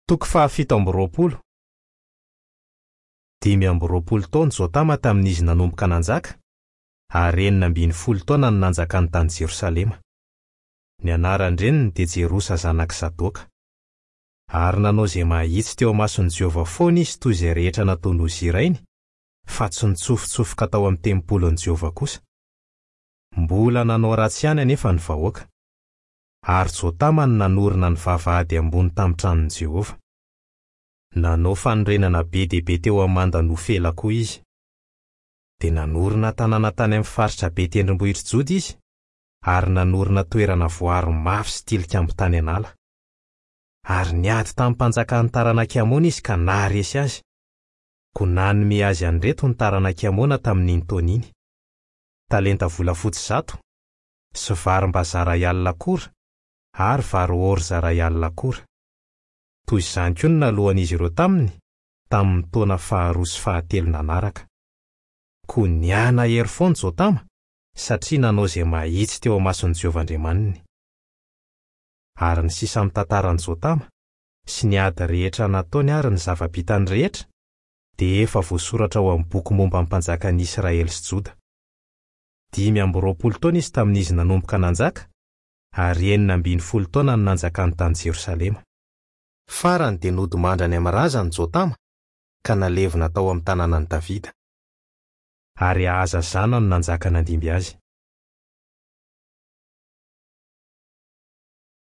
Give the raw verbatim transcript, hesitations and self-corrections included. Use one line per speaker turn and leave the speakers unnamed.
Toko fahafito amby roapolo. Dimy amby roapolo taona Jotama tamin'izy nanomboka nanjaka, ary enina ambin'ny folo taona no nanjakany tany Jerosalema. Ny anaran-dreniny dia Jerosa zanak'i Sadoka. Ary nanao izay mahitsy teo imason'i Jehovah foana izy toy izay rehetra nataon'i Ozia rainy, fa tsy nitsofotsofoka tao amin'ny tempolin'i Jehovah kosa. Mbola nanao ratsy ihany anefa ny vahoaka. Ary Jotama no nanorina ny vavahady ambony tamin'ny tranon'i Jehovah. Nanao fanorenana be dia be teo amin'ny manda Nofela koa izy. Dia nanorina tanàna tany amin'ny faritra be tendrombohitr'i Joda izy, ary nanorina toerana voaro mafy sy tilikambo tany an'ala. Ary niady tamin'ny mpanjakan'ny taranak'i Amona izy ka naharesy azy. Koa nanome azy an'ireto ny taranak'i Amona tamin'iny taona iny: talenta volafotsy zato, sy varim-bazaha iray alina kora, ary vary orza iray alina kora. Toy izany koa no naloan'izy ireo taminy tamin'ny taona faharoa sy fahatelo nanaraka. Koa niana-hery foana Jotama satria nanao izay mahitsy teo imason'i Jehovah Andriamaniny. Ary ny sisa amin'ny tantaran'i Jotama sy ny ady rehetra nataony ary ny zava-bitany rehetra dia efa voasoratra ao amin'ny boky momba ny mpanjakan'i Israely sy Joda. Dimy amby roapolo taona izy tamin'izy nanomboka nanjaka, ary enina ambin'ny folo taona no nanjakany tany Jerosalema. Farany dia nodimandry any amin'ny razany Jotama ka nalevina tao amin'ny tanànan'i Davida. Ary Ahaza zanany no nanjaka nandimby azy.